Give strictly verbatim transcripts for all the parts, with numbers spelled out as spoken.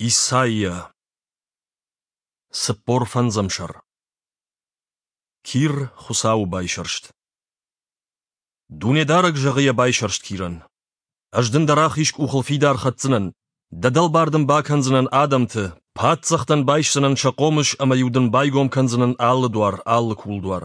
Исайя. Цыппор фӕндзӕм сӕр. Кир Хуыцауы байсӕрст. Дунедарӕг зӕгъы йӕ байсӕрст Кирӕн: Ӕз дын дӕ рахиз къухыл фидар хӕцдзынӕн, дӕ дӕлбар дын бакӕндзынӕн адӕмты, паддзӕхтӕн байсдзынӕн сӕ хъомыс ӕмӕ-иу дын байгом кӕндзынӕн алы дуар, алы кулдуар.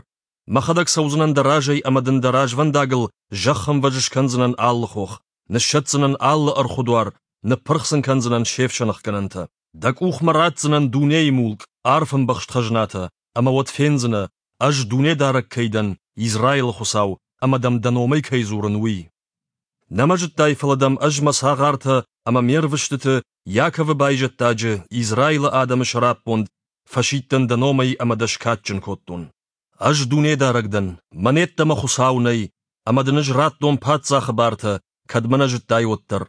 Мӕхӕдӕг цӕудзынӕн дӕ разӕй ӕмӕ дын дӕ развӕндагыл зӕххӕмвӕз скӕндзынӕн алы хох, ныссӕтдзынӕн алы ӕрхуы дуар, ныппырх сын кӕндзынӕн се фсӕнӕхгӕнӕнтӕ. Дӕ къухмӕ ратдзынӕн дунейы мулк, арф ӕмбӕхст хӕзнатӕ, ӕмӕ уӕд фендзынӕ, Ӕз Дунедарӕг кӕй дӕн, Израилы Хуыцау, ӕмӕ дӕм дӕ номӕй кӕй дзурын, уый. Нӕ мӕ зыдтай, фӕлӕ дӕм Ӕз мӕ цагъартӕ ӕмӕ ме рвыстыты, Иаковы байзӕддаджы, Израилы адӕмы сӕраппонд, фӕсидтӕн дӕ номӕй ӕмӕ дӕ скадджын кодтон. Ӕз Дунедарӕг дӕн, мӕн йеддӕмӕ Хуыцау нӕй, ӕмӕ дын Ӕз радтон паддзахы бартӕ, кӕд мӕ нӕ зыдтай, уӕддӕр.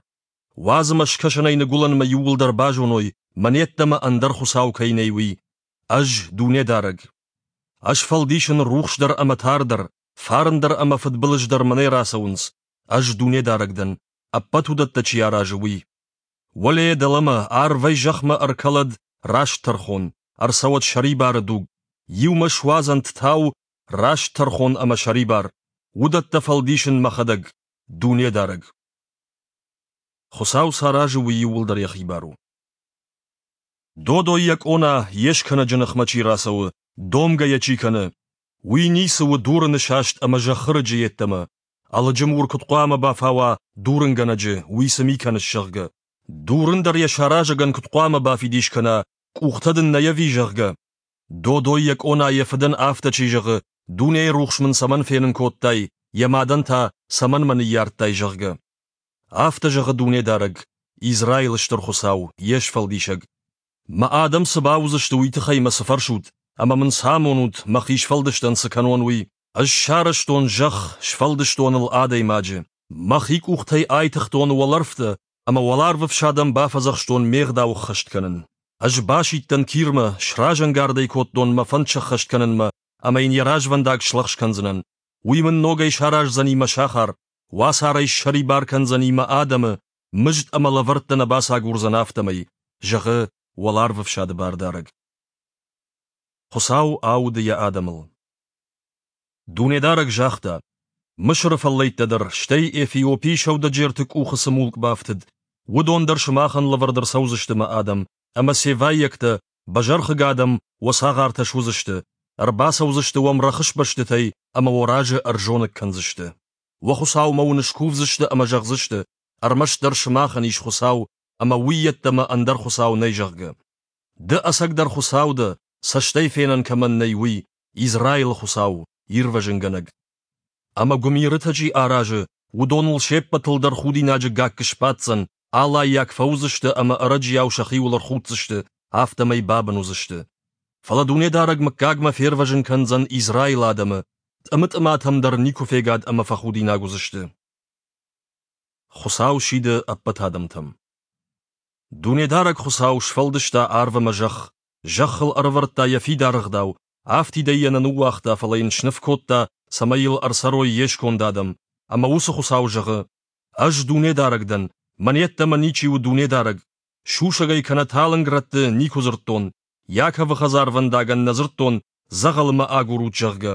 Уадз ӕмӕ скӕсӕнӕй ныгуылӕнмӕ иууылдӕр базоной, мӕн йеддӕмӕ ӕндӕр Хуыцау кӕй нӕй, уый. Ӕз Дунедарӕг. Ӕз фӕлдисын рухс дӕр ӕмӕ тар дӕр, фарн дӕр ӕмӕ фыдбылыз дӕр мӕнӕй рацӕуынц. Ӕз Дунедарӕг дӕн, ӕппӕт уыдӕттӕ чи аразы, уый. Уӕлейӕ дӕлӕмӕ, арвӕй зӕхмӕ ӕркӕлӕд раст тӕрхон, ӕрцӕуӕд сӕрибары дуг, иумӕ суадзӕнт тау, раст тӕрхон ӕмӕ сӕрибар. Уыдӕттӕ фӕлдисын мӕхӕдӕг, Дунедарӕг. Хуыцау цы аразы, уый иууылдӕр йӕхи бар у. Додой йӕ къона, йе скӕнӕджы ныхмӕ чи рацӕуы, домгӕ йӕ чи кӕны, уый ницы у дурыны саст ӕмӕ зӕххы рыджы йеддӕмӕ. Ӕлыджы мур куыд хъуамӕ бафауа дурынгӕнӕджы, уый цы ми кӕныс, зӕгъгӕ. Дурын дӕр йӕ саразӕгӕн куыд хъуамӕ бафидис кӕна, къухтӕ дын нӕй ӕви, зӕгъгӕ. Додой йӕ къона йӕ фыдӕн афтӕ чи зӕгъы, дунейы рухс мын цӕмӕн фенын кодтай, йӕ мадӕн та, цӕмӕн мӕ ныййардтай, зӕгъгӕ. Афтӕ зӕгъы Дунедарӕг, Израилы Стыр Хуыцау, йе Сфӕлдисӕг. Мӕ адӕм цы бауыдзысты, уый тыххӕй мӕ цы фӕрсут, ӕмӕ мын цы амонут, мӕхи сфӕлдыстӕн цы кӕнон, уый? Ӕз сарӕзтон зӕхх, сфӕлдыстон ыл адӕймаджы. Мӕхи къухтӕй айтыгътон уӕлӕрвтӕ, ӕмӕ уӕларвы фсадӕн бафӕдзӕхстон ме гъдау ӕххӕст кӕнын. Ӕз басидтӕн Кирмӕ, сразӕнгард ӕй кодтон мӕ фӕнд сӕххӕст кӕнынмӕ, ӕмӕ йын йӕ развӕндаг слӕгъз кӕндзынӕн. Уый мын ногӕй сараздзӕни мӕ сахар, уацарӕй ссӕрибар кӕндзӕни мӕ адӕмы, мызд ӕмӕ лӕвӕрттӕ нӕ бацагурдзӕн афтӕмӕй, зӕгъы уӕларвы фсады бардарӕг. Хуыцау ауды йӕ адӕмыл. Дунедарӕг загъта: Мысыры фӕллӕйттӕ дӕр, стӕй Эфиопийы сӕудӕджерты къухы цы мулк бафтыд, уыдон дӕр сымахӕн лӕвӕрд ӕрцӕудзысты мӕ адӕм, ӕмӕ севайӕгтӕ, бӕзӕрхыг адӕм, уӕ цагъартӕ суыдзысты, ӕрбацӕудзысты уӕм рӕхысбӕстытӕй ӕмӕ уӕ разы ӕрзоныг кӕндзысты. Уӕ Хуыцаумӕ уын скувдзысты ӕмӕ зӕгъдзысты, ӕрмӕстдӕр сымахӕн ис Хуыцау, ӕмӕ уый йеддӕмӕ ӕндӕр Хуыцау нӕй, зӕгъгӕ. Ды ӕцӕгдӕр Хуыцау дӕ, цӕстӕй фенӕн кӕмӕн нӕй, уый, Израилы Хуыцау, Ирвӕзынгӕнӕг. Ӕмӕ гуымирытӕ чи аразы, уыдоныл се ппӕтыл дӕр худинаджы гакк сбаддзӕн, алаййаг фӕуыдзысты ӕмӕ ӕрӕджиау сӕхиуыл ӕрхуддзысты, афтӕмӕй бабын уыдзысты. Фӕлӕ Дунедарӕг мыггагмӕ фервӕзын кӕндзӕн Израилы адӕмы, тъымы-тъыматӕм дӕр никуы фегад ӕмӕ фӕхудинаг уыдзысты. Хуыцау сиды ӕппӕт адӕмтӕм. Дунедарӕг Хуыцау сфӕлдыста арв ӕмӕ зӕхх, зӕххыл ӕрӕвӕрдта йӕ фидар ӕгъдау, афтидӕй йӕ нӕ ныууагъта, фӕлӕ йын сныв кодта, цӕмӕй йыл ӕрцӕрой йе сконд адӕм. Ӕмӕ уыцы Хуыцау зӕгъы: Ӕз Дунедарӕг дӕн, мӕн йеддӕмӕ ничи у Дунедарӕг. Сусӕгӕй кӕнӕ талынг рӕтты никуы дзырдтон, Иаковы хӕдзарвӕндагӕн нӕ дзырдтон, дзӕгъӕлы мӕ агурут, зӕгъгӕ.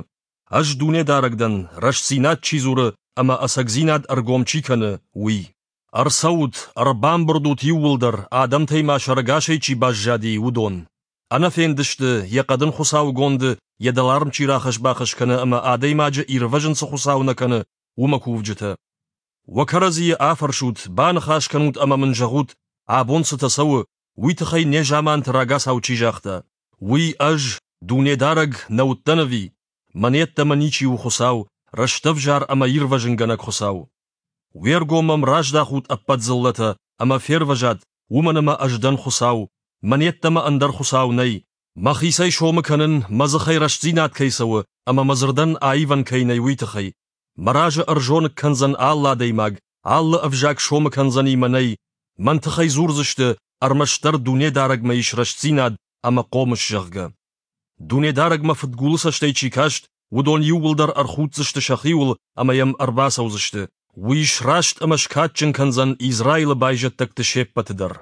Ӕз Дунедарӕг дӕн, рӕстдзинад чи дзуры ӕмӕ ӕцӕгдзинад ӕргом чи кӕны, уый. Ӕрцӕут, ӕрбамбырд ут иууылдӕр, адӕмтӕй ма сӕрӕгасӕй чи баззади, уыдон. Ӕнӕфенд сты, йӕ хъӕдын хуыцаугонды йӕ дӕларм чи рахӕсс-бахӕсс кӕны ӕмӕ адӕймаджы ирвӕзын цы хуыцау нӕ кӕны, уымӕ кувджытӕ. Уӕ кӕрӕдзийы афӕрсут, баныхас кӕнут ӕмӕ мын зӕгъут, абон цытӕ цӕуы, уый тыххӕй незаманты рагацау чи загъта. Уый ӕз, Дунедарӕг, нӕ уыдтӕн ӕви? Мӕн йеддӕмӕ ничи у Хуыцау, рӕстӕвзар ӕмӕ ирвӕзынгӕнӕг Хуыцау. Уе ргом мӕм раздахут ӕппӕт дзыллӕтӕ, ӕмӕ фервӕзат, уымӕн ӕмӕ ӕз дӕн Хуыцау, мӕн йеддӕмӕ ӕндӕр Хуыцау нӕй. Мӕхицӕй сомы кӕнын, мӕ дзыхӕй рӕстдзинад кӕй цӕуы ӕмӕ мӕ дзырдӕн аивӕн кӕй нӕй, уый тыххӕй. Мӕ разы ӕрзоныг кӕндзӕн алы адӕймаг, алы ӕвзаг сомы кӕндзӕни мӕнӕй. Мӕн тыххӕй дзурдзысты, ӕрмӕстдӕр Дунедарӕгмӕ ис рӕстдзинад ӕмӕ хъомыс, зӕгъгӕ. Дунедарӕгмӕ фыдгулы цӕстӕй чи каст, уыдон иууылдӕр ӕрхуддзысты сӕхиуыл ӕмӕ йӕм ӕрбацӕудзысты. Уый сраст ӕмӕ скадджын кӕндзӕн Израилы байзӕддӕгты се ппӕты дӕр.